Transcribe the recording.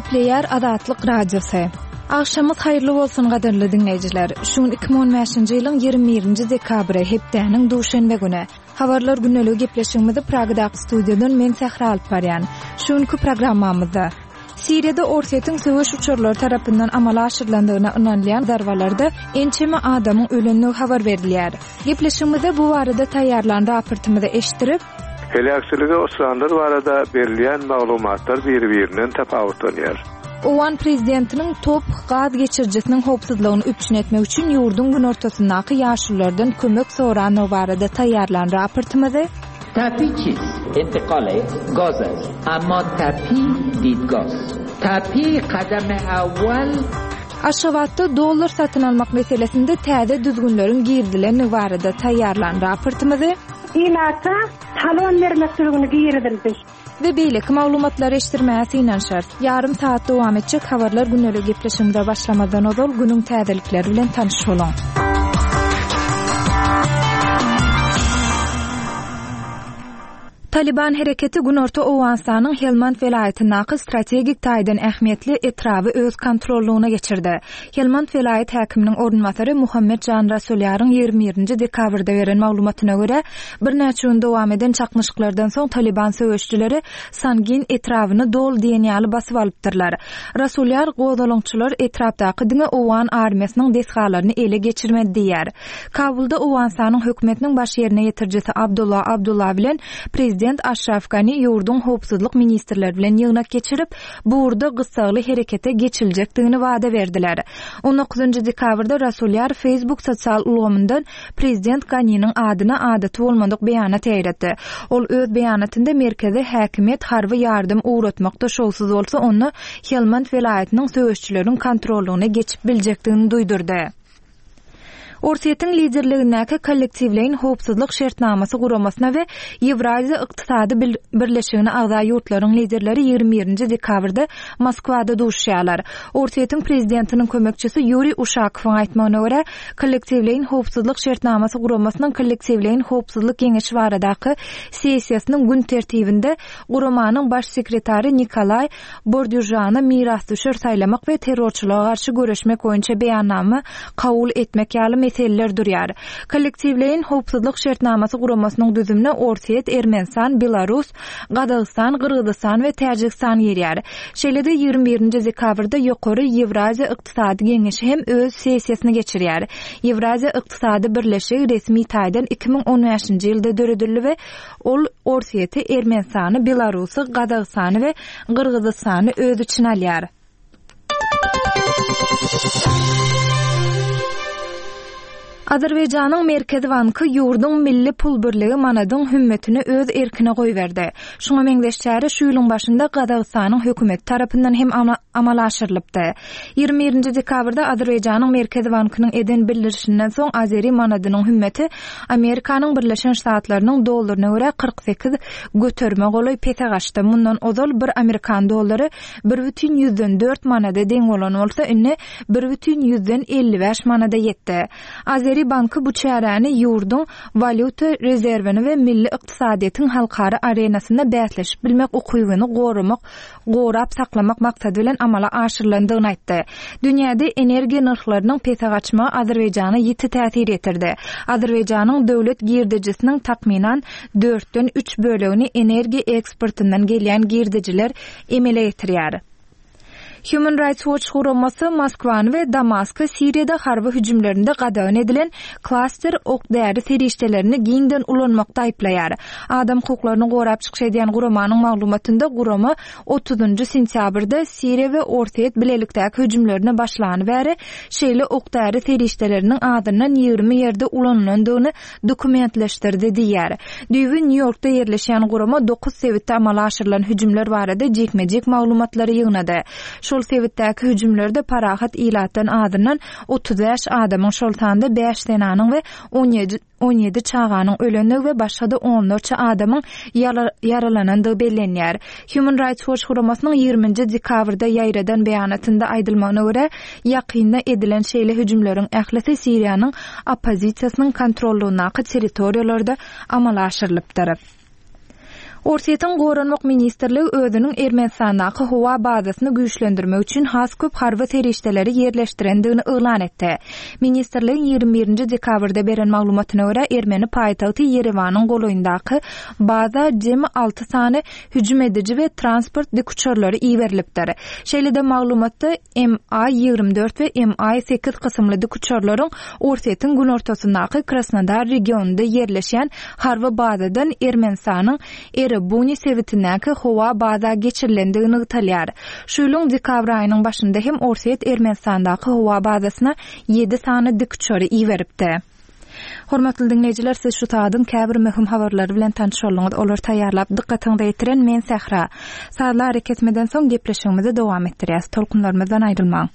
Gepleýär Azatlyk Radiosy. Agşamyňyz haýyrly bolsun gadyrly diňleýjiler. Şu gün 2015-nji ýylyň 21-nji dekabry, hepdäniň duşenbe güni. Habarlar gündeligi gepleşigimizi Pragadaky studiýadan men Sähra alyp barýan. Şu günki programmamyzda Siriýada Orsýetiň söweş uçarlary tarapyndan amala aşyrylandygyna ynanylýan zarbalarda ençeme adamyň ölendigi habar berilýär. Gepleşigimizde bu barada taýýarlan raportymyzy eşitdirip, Heläkçilige uçranlar barada berilýän maglumatlar biri-birinden tapawutlanýar. Owgan prezidentiniň TOPH gaz geçirijisiniň howpsuzlygyny üpjün etmek üçin ýurduň günortasyndaky ýaşululardan kömek sorandygy barada taýýarlan raportymyzy, Tapi çist? Intikal gaz est. Emma tapi didgah st. Tapi kadam awwal. Aşgabatda dollar satyn almak meselesinde täze düzgünleriň girizilendigi barada taýýarlan raportymyzy, Ilata talon bermek düzgüni girizildi. We beýleki maglumatlary eşitdirmäge synanyşarys. Ýarym sagat dowam etjek Habarlar gündeligi gepleşigimize başlamazdan ozal günüň täzelikleri bilen tanyş boluň. Talyban hereketi günorta Owganystanyň Helmand welaýatyndaky strategik taýdan ähmiýetli etraby öz kontrollygyna geçirdi. Helmand welaýat häkiminiň orunbasary Muhammet Jan Rasulýaryň 21-nji dekabrda beren maglumatyna görä, Birnäçe gün dowam eden çaknyşyklardan soň Talyban söweşijileri Sangin etrabyny doly diýen ýaly basyp alypdyrlar. Rasulýar gozgalaňçylar etrapdaky diňe owgan armiýasynyň desgalaryny ele geçirmedi diýýär. Kabulda Owganystanyň hökümetiniň baş ýerine ýetirijisi Abdullah Abdullah bilen prezident Aşraf Gani ýurduň howpsuzlyk ministrleri bilen ýygnak geçirip, bu ugurda gyssagly herekete geçiljekdigini wada berdiler. On dokuzynjy dekabrda Rasulýar Facebook sosial ulgamyndan Prezident Ganiniň adyna adaty bolmadyk beýanat ýaýratdy. Ol öz beýanatynda merkezi häkimiýet harby ýardam ugratmakda şowsuz bolsa, onda Helmand welaýatynyň söweşçileriň kontrollygyna geçip biljekdigini duýdurdy. Orsýetiň liderligindäki Kollektiwleýin howpsuzlyk şertnamasy guramasyna we Ýewraziýa ykdysady birleşigine agza ýurtlaryň liderleri 21-nji dekabrda Moskwada duşuşýarlar. Orsýetiň prezidentiniň kömekçisi Ýuriý Uşakowyň aýtmagyna görä, Kollektiwleýin howpsuzlyk şertnamasy guramasynyň Kollektiwleýin howpsuzlyk geňeşi baradaky sessiýasynyň gün tertibinde guramanyň baş sekretary Nikolaý Bordýužany mirasdüşer saýlamak we terrorçylyga garşy göreşmek boýunça beýannama kabul etmek ýaly meseleler durýar. Kollektiwleýin howpsuzlyk şertnamasy guramasynyň düzümine Orsýet, Ermenistan, Belarus, Gazagystan, Gyrgyzystan we Täjigistan girýär. Şeýle-de 21-nji dekabrda Ýokary Ýewraziýa ykdysady geňeşi hem öz sessiýasyny geçirýär. Ýewraziýa ykdysady birleşigi resmi taýdan 2015-nji ýylda döredildi we ol Orsýeti, Ermenistany, Belarusy, Gazagystany we Gyrgyzystany öz içine alýar. Azerbaýjanyň Merkezi banky ýurduň milli pul birligi manadyň hümmetini öz erkine goýberdi. Şuňa meňzeş çäre şu ýylyň başynda Gazagystanyň hökümeti tarapyndan hem amala aşyrylypdy. 21-nji dekabrda Azerbaýjanyň Merkezi bankynyň eden bildirişinden soň azeri manadynyň hümmeti Amerikanyň Birleşen Ştatlarynyň dollaryna görä 48 göterime golaý pese gaçdy. Mundan ozal bir amerikan dollary 1,4 manada deň bolan bolsa, indi 1,55 manada ýetdi. Azeri banky bu çäräni ýurduň walýuta rezerwini we milli ykdysadyýetiň halkara arenasynda bäsleşip bilmek ukybyny goramak gorap saklamak maksady bilen amala aşyrylandygyny aýtdy. Dünýäde energiýa nyrhlarynyň pese gaçmagy Azerbaýjana ýiti täsir ýetirdi. Azerbaýjanyň döwlet girdejisiniň takmynan dörtden üç bölegini energiýa eksportyndan gelýän girdejiler emele getirýär. Human Rights Watch guramasy Moskwany we Damasky Siriýada harby hüjümlerinde gadagan edilen klaster ok-däri serişdelerini giňden ulanmakda aýyplaýar. Adam hukuklaryny gorap çykyş edýän guramanyň maglumatynda gurama otuzynjy sentýabrda Siriýa we Orsýet bilelikdäki hüjümlerine başlany bäri şeýle ok-däri serişdeleriniň azyndan 20 ýerde ulanylandygyny dokumentleşdirdi diýýär. Düýbi Nýu-Ýorkda ýerleşýän gurama dokuz sebitde amala aşyrylan hüjümler barada jikme-jik maglumatlary ýygnady. Şol sebitdäki hüjümlerde parahat ilatdan azyndan 35 adamyň, şol sanda bäş zenanyň we 17 çaganyň ölendigi we başga-da onlarça adamyň ýaralanandygy bellenýär. Human Rights Watch guramasynyň 20-nji dekabrda ýaýradan beýanatynda aýdylmagyna görä, ýakynda edilen şeýle hüjümleriň ählisi Siriýanyň oppozisiýasynyň kontrollygyndaky territoriýalarda amala aşyrylypdyr. Orsýetiň Goranmak ministrligi özüniň Ermenistandaky howa bazasyny güýçlendirmek üçin has köp harby serişdeleri ýerleşdirendigini yglan etdi. Ministrligiň 21 nji dekabrda beren maglumatyna görä, ermeni paýtagty Ýerewanyň golaýyndaky baza jemi alty sany hüjüm ediji we transport dikuçarlary iberilipdir. Şeýle-de maglumatda MI 24 we MI 8 kysymly dikuçarlaryň Orsýetiň günortasyndaky Krasnodar regionynda ýerleşýän harby bazadan Ermenistanyň Erebuni sebitindäki howa baza geçirilendigi nygtalýar. Şu ýylyň dekabr aýynyň başynda hem Orsýet Ermenistandaky howa bazasyna ýedi sany dikuçary iberipdi. Hormatly diňleýjiler, siz şu sagadyň käbir möhüm habarlary bilen tanyş bolduňyz. Olary taýýarlap, dykgatyňyza ýetiren men Sähra. Sazly arakesmeden soň gepleşigimizi dowam etdirýäs. Tolkunlarymyzdan aýrylmaň.